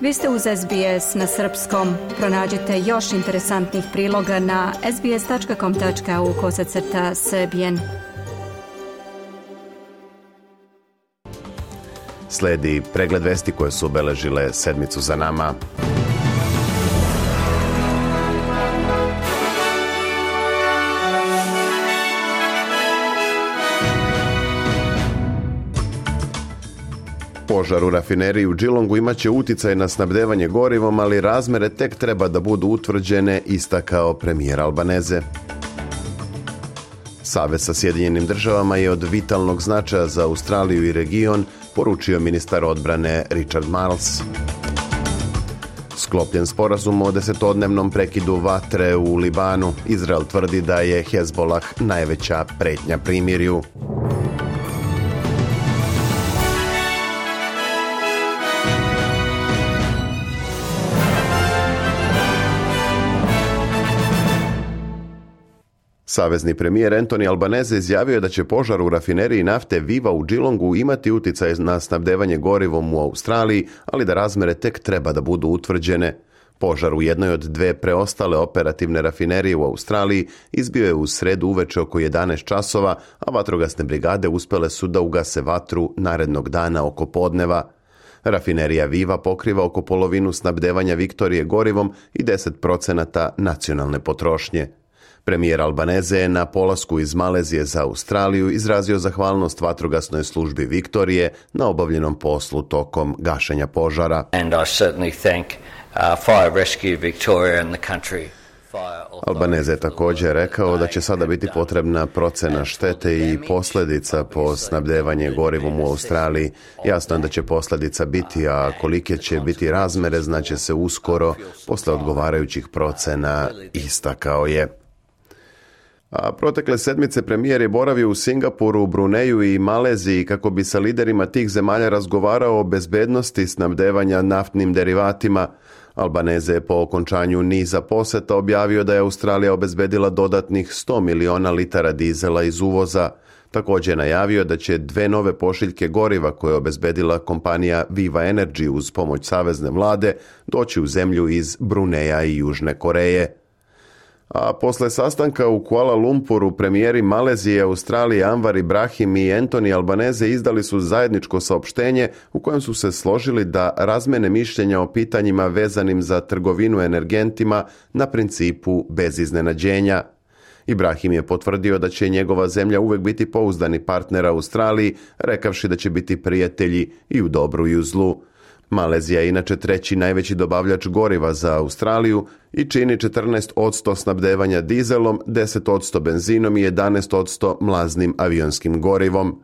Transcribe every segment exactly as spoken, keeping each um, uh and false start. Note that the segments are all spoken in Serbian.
Vi ste uz S B S na srpskom. Pronađite još interesantnih priloga na sbs.com.au kosacrta srbijen. Sledi pregled vesti koje su obeležile sedmicu za nama. Požar u rafineriji u Geelongu imaće uticaj na snabdevanje gorivom, ali razmere tek treba da budu utvrđene, istakao premijer Albaneze. Savez sa Sjedinjenim državama je od vitalnog značaja za Australiju i region, poručio ministar odbrane Richard Marles. Sklopljen sporazum o desetodnevnom prekidu vatre u Libanu. Izrael tvrdi da je Hezbolah najveća pretnja primirju. Savezni premijer Anthony Albanese izjavio je da će požar u rafineriji nafte Viva u Geelongu imati uticaj na snabdevanje gorivom u Australiji, ali da razmere tek treba da budu utvrđene. Požar u jednoj od dve preostale operativne rafinerije u Australiji izbio je u sredu uveče oko jedanaest časova, a vatrogasne brigade uspele su da ugase vatru narednog dana oko podneva. Rafinerija Viva pokriva oko polovinu snabdevanja Viktorije gorivom i deset procenata nacionalne potrošnje. Premijer Albaneze je na polasku iz Malezije za Australiju izrazio zahvalnost vatrogasnoj službi Viktorije na obavljenom poslu tokom gašenja požara. And I certainly thank uh, Fire Rescue Victoria and the country. Albaneze je također rekao da će sada biti potrebna procena štete i posljedica po snabdevanje gorivom u Australiji. Jasno je da će posljedica biti, a kolike će biti razmere znaće se uskoro posle odgovarajućih procena, istakao je. A protekle sedmice premijer je boravio u Singapuru, Bruneju i Maleziji kako bi sa liderima tih zemalja razgovarao o bezbednosti snabdevanja naftnim derivatima. Albaneze je po okončanju niza poseta objavio da je Australija obezbedila dodatnih sto miliona litara dizela iz uvoza. Također je najavio da će dve nove pošiljke goriva koje je obezbedila kompanija Viva Energy uz pomoć savezne vlade doći u zemlju iz Bruneja i Južne Koreje. A posle sastanka u Kuala Lumpuru premijeri Malezije, Australije Anwar Ibrahim i Anthony Albanese izdali su zajedničko saopštenje u kojem su se složili da razmene mišljenja o pitanjima vezanim za trgovinu energentima na principu bez iznenađenja. Ibrahim je potvrdio da će njegova zemlja uvek biti pouzdani partner Australiji, rekavši da će biti prijatelji i u dobru i u zlu. Malezija je inače treći najveći dobavljač goriva za Australiju i čini četrnaest posto snabdevanja dizelom, deset posto benzinom i jedanaest posto mlaznim avionskim gorivom.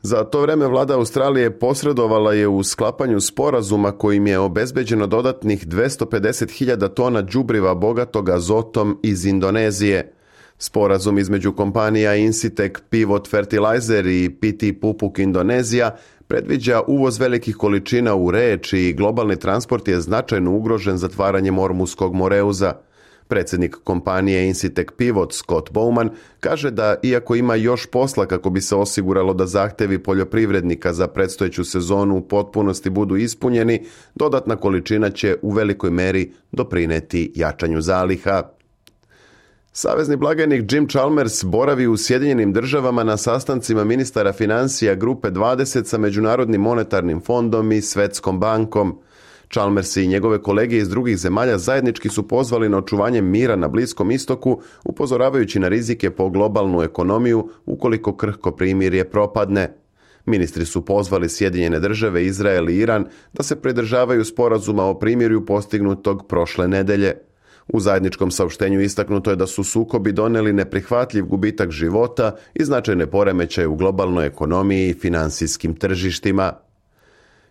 Za to vreme vlada Australije posredovala je u sklapanju sporazuma kojim je obezbeđeno dodatnih dvesta pedeset hiljada tona đubriva bogatog azotom iz Indonezije. Sporazum između kompanija Incitec Pivot Fertilizer i P T Pupuk Indonezija predviđa uvoz velikih količina uree, čiji globalni transport je značajno ugrožen zatvaranjem Ormuskog moreuza. Predsjednik kompanije Incitec Pivot Scott Bowman kaže da iako ima još posla kako bi se osiguralo da zahtevi poljoprivrednika za predstojeću sezonu u potpunosti budu ispunjeni, dodatna količina će u velikoj meri doprineti jačanju zaliha. Savezni blagajnik Jim Chalmers boravi u Sjedinjenim državama na sastancima ministara financija Grupe dvadeset sa Međunarodnim monetarnim fondom i Svetskom bankom. Chalmers i njegove kolege iz drugih zemalja zajednički su pozvali na očuvanje mira na Bliskom istoku, upozoravajući na rizike po globalnu ekonomiju ukoliko krhko primirje propadne. Ministri su pozvali Sjedinjene države, Izrael i Iran da se pridržavaju sporazuma o primirju postignutog prošle nedelje. U zajedničkom saopštenju istaknuto je da su sukobi doneli neprihvatljiv gubitak života i značajne poremećaje u globalnoj ekonomiji i finansijskim tržištima.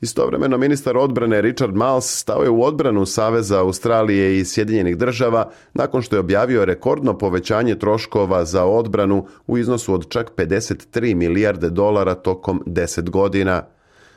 Istovremeno ministar odbrane Richard Marles stao je u odbranu Saveza Australije i Sjedinjenih država nakon što je objavio rekordno povećanje troškova za odbranu u iznosu od čak pedeset tri milijarde dolara tokom deset godina.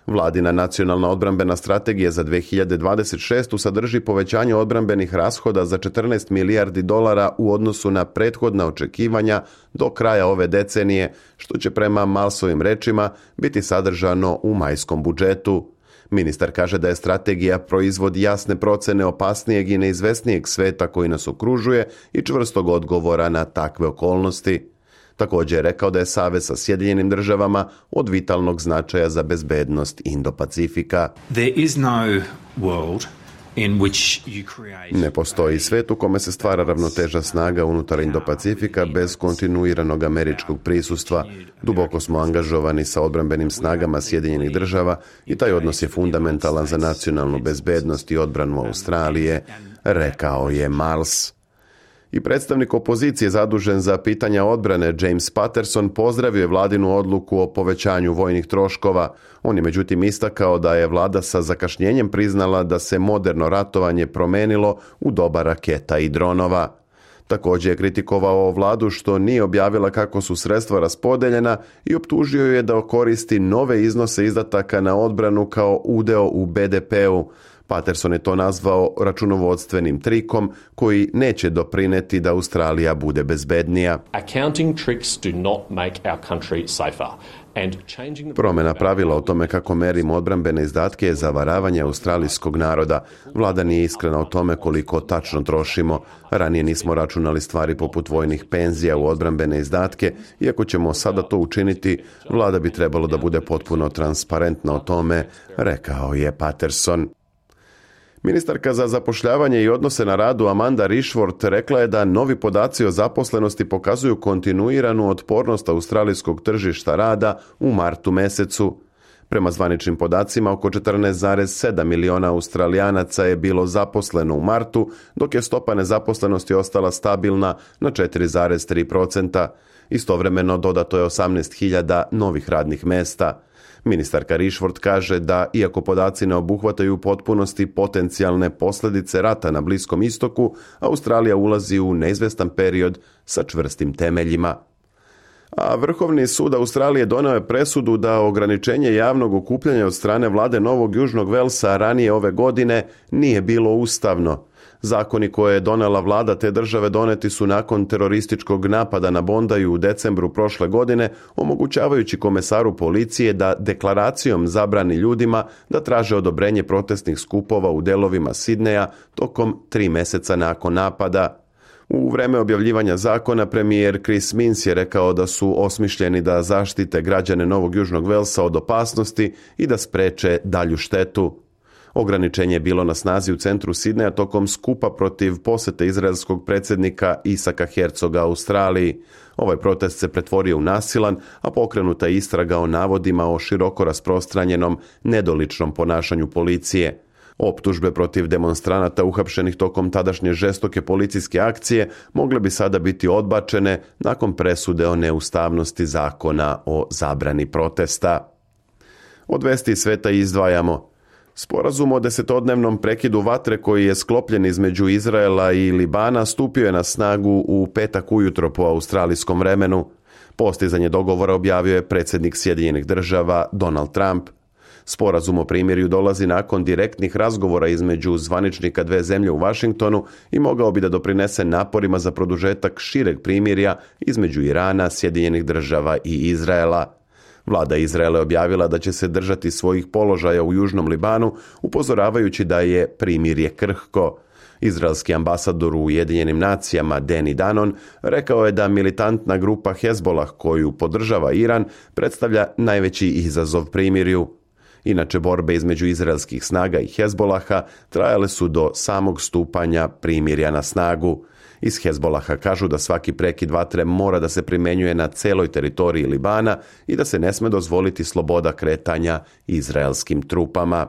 Vladina nacionalna odbrambena strategija za dve hiljade dvadeset šestu sadrži povećanje odbrambenih rashoda za četrnaest milijardi dolara u odnosu na prethodna očekivanja do kraja ove decenije, što će prema Marlesovim rečima biti sadržano u majskom budžetu. Ministar kaže da je strategija proizvod jasne procene opasnijeg i neizvesnijeg sveta koji nas okružuje i čvrstog odgovora na takve okolnosti. Također je rekao da je savez sa Sjedinjenim državama od vitalnog značaja za bezbednost Indo-Pacifika. There is no world in which you create... Ne postoji svijet u kome se stvara ravnoteža snaga unutar Indo-Pacifika bez kontinuiranog američkog prisustva. Duboko smo angažovani sa odbrambenim snagama Sjedinjenih država i taj odnos je fundamentalan za nacionalnu bezbednost i odbranu Australije, rekao je Marles. I predstavnik opozicije zadužen za pitanja odbrane James Patterson pozdravio je vladinu odluku o povećanju vojnih troškova. On je međutim istakao da je vlada sa zakašnjenjem priznala da se moderno ratovanje promenilo u doba raketa i dronova. Također je kritikovao vladu što nije objavila kako su sredstva raspodeljena i optužio je da koristi nove iznose izdataka na odbranu kao udeo u be de peu. Patterson je to nazvao računovodstvenim trikom koji neće doprineti da Australija bude bezbednija. Accounting tricks do not make our country safer. Promjena pravila o tome kako merimo odbrambene izdatke je zavaravanje australijskog naroda. Vlada nije iskrena o tome koliko tačno trošimo. Ranije nismo računali stvari poput vojnih penzija u odbrambene izdatke. Iako ćemo sada to učiniti, vlada bi trebalo da bude potpuno transparentna o tome, rekao je Patterson. Ministarka za zapošljavanje i odnose na radu Amanda Rishworth rekla je da novi podaci o zaposlenosti pokazuju kontinuiranu otpornost australijskog tržišta rada u martu mesecu. Prema zvaničnim podacima, oko četrnaest zarez sedam miliona Australijanaca je bilo zaposleno u martu, dok je stopa nezaposlenosti ostala stabilna na četiri zarez tri posto. Istovremeno dodato je osamnaest hiljada novih radnih mesta. Ministarka Rishworth kaže da, iako podaci ne obuhvataju u potpunosti potencijalne posljedice rata na Bliskom istoku, Australija ulazi u neizvestan period sa čvrstim temeljima. A Vrhovni sud Australije doneo je presudu da ograničenje javnog okupljanja od strane vlade Novog Južnog Velsa ranije ove godine nije bilo ustavno. Zakoni koje je donela vlada te države doneti su nakon terorističkog napada na Bondaju u decembru prošle godine, omogućavajući komesaru policije da deklaracijom zabrani ljudima da traže odobrenje protestnih skupova u delovima Sidneja tokom tri mjeseca nakon napada. U vreme objavljivanja zakona premijer Chris Minns je rekao da su osmišljeni da zaštite građane Novog Južnog Velsa od opasnosti i da spreče dalju štetu. Ograničenje je bilo na snazi u centru Sidneja tokom skupa protiv posjete izraelskog predsjednika Isaka Herzoga Australiji. Ovaj protest se pretvorio u nasilan, a pokrenuta je istraga o navodima o široko rasprostranjenom nedoličnom ponašanju policije. Optužbe protiv demonstranata uhapšenih tokom tadašnje žestoke policijske akcije mogle bi sada biti odbačene nakon presude o neustavnosti zakona o zabrani protesta. Od vesti sveta izdvajamo: sporazum o desetodnevnom prekidu vatre koji je sklopljen između Izraela i Libana stupio je na snagu u petak ujutro po australijskom vremenu. Postizanje dogovora objavio je predsjednik Sjedinjenih država Donald Trump. Sporazum o primirju dolazi nakon direktnih razgovora između zvaničnika dve zemlje u Washingtonu i mogao bi da doprinese naporima za produžetak šireg primirja između Irana, Sjedinjenih država i Izraela. Vlada Izraela je objavila da će se držati svojih položaja u Južnom Libanu, upozoravajući da je primirje krhko. Izraelski ambasador u Ujedinjenim nacijama Danny Danon rekao je da militantna grupa Hezbollah, koju podržava Iran, predstavlja najveći izazov primirju. Inače, borbe između izraelskih snaga i Hezbollaha trajale su do samog stupanja primirja na snagu. Iz Hezbollaha kažu da svaki prekid vatre mora da se primjenjuje na celoj teritoriji Libana i da se ne sme dozvoliti sloboda kretanja izraelskim trupama.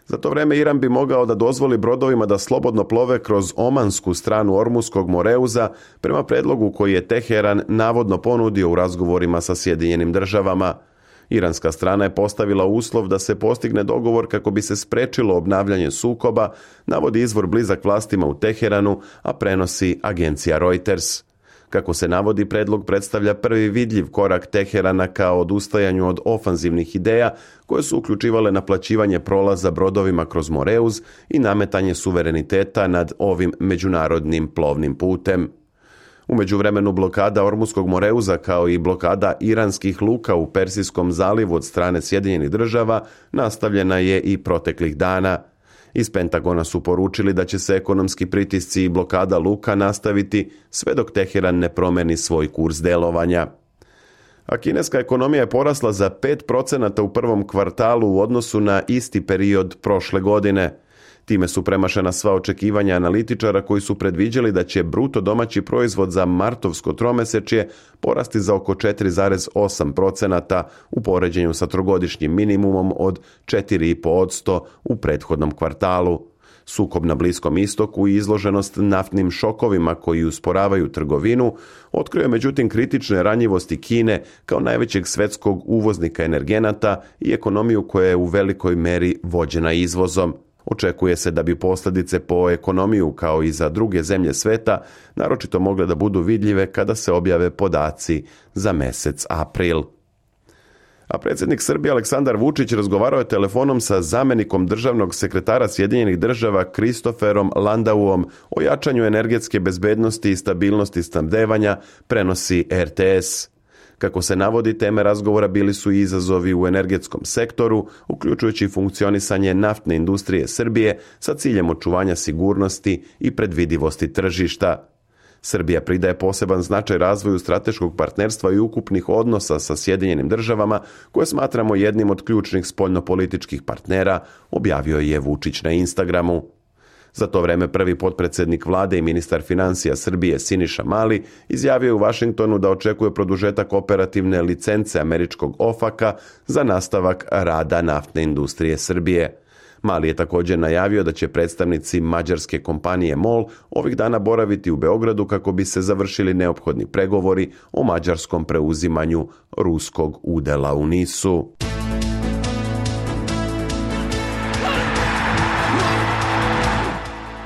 Za to vreme Iran bi mogao da dozvoli brodovima da slobodno plove kroz omansku stranu Ormuskog Moreuza prema predlogu koji je Teheran navodno ponudio u razgovorima sa Sjedinjenim državama. Iranska strana je postavila uslov da se postigne dogovor kako bi se sprečilo obnavljanje sukoba, navodi izvor blizak vlastima u Teheranu, a prenosi agencija Reuters. Kako se navodi, predlog predstavlja prvi vidljiv korak Teherana ka odustajanju od ofanzivnih ideja koje su uključivale naplaćivanje prolaza brodovima kroz Moreuz i nametanje suvereniteta nad ovim međunarodnim plovnim putem. U međuvremenu blokada Ormuskog Moreuza kao i blokada iranskih luka u Persijskom zalivu od strane Sjedinjenih država nastavljena je i proteklih dana. Iz Pentagona su poručili da će se ekonomski pritisci i blokada luka nastaviti sve dok Teheran ne promeni svoj kurs delovanja. A kineska ekonomija je porasla za pet procenata u prvom kvartalu u odnosu na isti period prošle godine. Time su premašena sva očekivanja analitičara koji su predviđali da će bruto domaći proizvod za martovsko tromesečje porasti za oko četiri zarez osam procenata u poređenju sa trogodišnjim minimumom od četiri zarez pet posto u prethodnom kvartalu. Sukob na Bliskom istoku i izloženost naftnim šokovima koji usporavaju trgovinu otkrio je međutim kritične ranjivosti Kine kao najvećeg svetskog uvoznika energenata i ekonomiju koja je u velikoj meri vođena izvozom. Očekuje se da bi posljedice po ekonomiju kao i za druge zemlje sveta naročito mogle da budu vidljive kada se objave podaci za mjesec april. A predsjednik Srbije Aleksandar Vučić razgovarao je telefonom sa zamjenikom državnog sekretara Sjedinjenih država Kristoferom Landauom o jačanju energetske bezbednosti i stabilnosti snabdevanja, prenosi er te es. Kako se navodi, teme razgovora bili su i izazovi u energetskom sektoru, uključujući funkcionisanje naftne industrije Srbije sa ciljem očuvanja sigurnosti i predvidivosti tržišta. Srbija pridaje poseban značaj razvoju strateškog partnerstva i ukupnih odnosa sa Sjedinjenim državama, koje smatramo jednim od ključnih spoljnopolitičkih partnera, objavio je Vučić na Instagramu. Za to vreme prvi potpredsjednik vlade i ministar financija Srbije Siniša Mali izjavio je u Vašingtonu da očekuje produžetak operativne licence američkog ofaka za nastavak rada naftne industrije Srbije. Mali je također najavio da će predstavnici mađarske kompanije MOL ovih dana boraviti u Beogradu kako bi se završili neophodni pregovori o mađarskom preuzimanju ruskog udjela u nisu.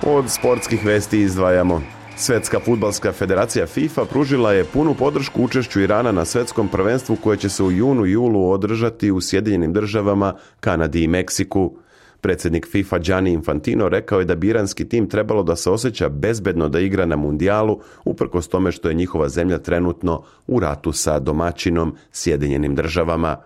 Od sportskih vesti izdvajamo. Svjetska fudbalska federacija FIFA pružila je punu podršku učešću Irana na svjetskom prvenstvu koje će se u junu i julu održati u Sjedinjenim državama, Kanadi i Meksiku. Predsjednik FIFA Gianni Infantino rekao je da bi iranski tim trebalo da se osjeća bezbedno da igra na mundijalu, uprkos tome što je njihova zemlja trenutno u ratu sa domaćinom Sjedinjenim državama.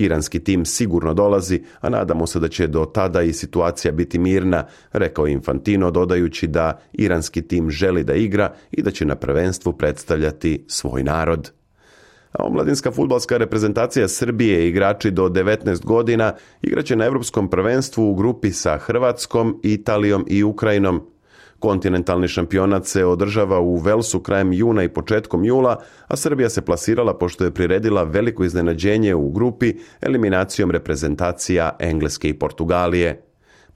Iranski tim sigurno dolazi, a nadamo se da će do tada i situacija biti mirna, rekao je Infantino, dodajući da iranski tim želi da igra i da će na prvenstvu predstavljati svoj narod. A omladinska fudbalska reprezentacija Srbije i igrači do devetnaest godina igraće na Europskom prvenstvu u grupi sa Hrvatskom, Italijom i Ukrajinom. Kontinentalni šampionat se održava u Velsu krajem juna i početkom jula, a Srbija se plasirala pošto je priredila veliko iznenađenje u grupi eliminacijom reprezentacija Engleske i Portugalije.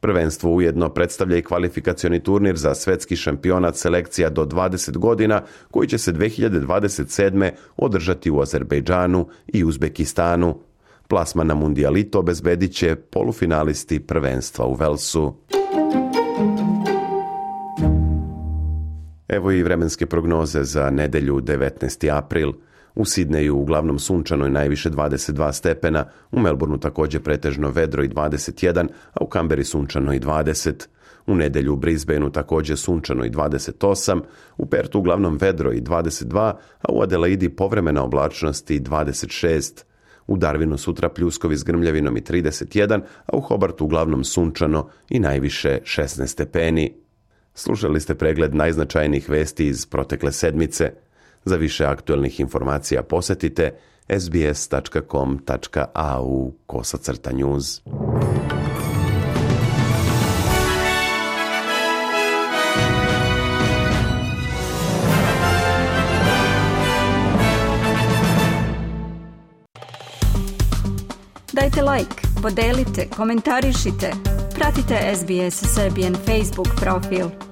Prvenstvo ujedno predstavlja i kvalifikacioni turnir za svetski šampionat selekcija do dvadeset godina koji će se dve hiljade dvadeset sedme održati u Azerbejdžanu i Uzbekistanu. Plasman na mundijalito obezbedit će polufinalisti prvenstva u Velsu. Evo i vremenske prognoze za nedelju devetnaesti april. U Sidneju uglavnom sunčano i najviše dvadeset dva stepena, u Melbourneu također pretežno vedro i dvadeset jedan, a u Kamberi sunčano i dvadeset. U nedelju u Brisbaneu također sunčano i dvadeset osam, u Pertu uglavnom vedro i dvadeset dva, a u Adelaidi povremena oblačnost i dvadeset šest. U Darwinu sutra pljuskovi s grmljavinom i trideset jedan, a u Hobartu uglavnom sunčano i najviše šesnaest stepeni. Slušali ste pregled najznačajnijih vesti iz protekle sedmice. Za više aktualnih informacija posjetite es be es tačka com tačka a u kosacrta news. Dajte like, podelite, komentarišite. Pratite es be es Serbian Facebook profil.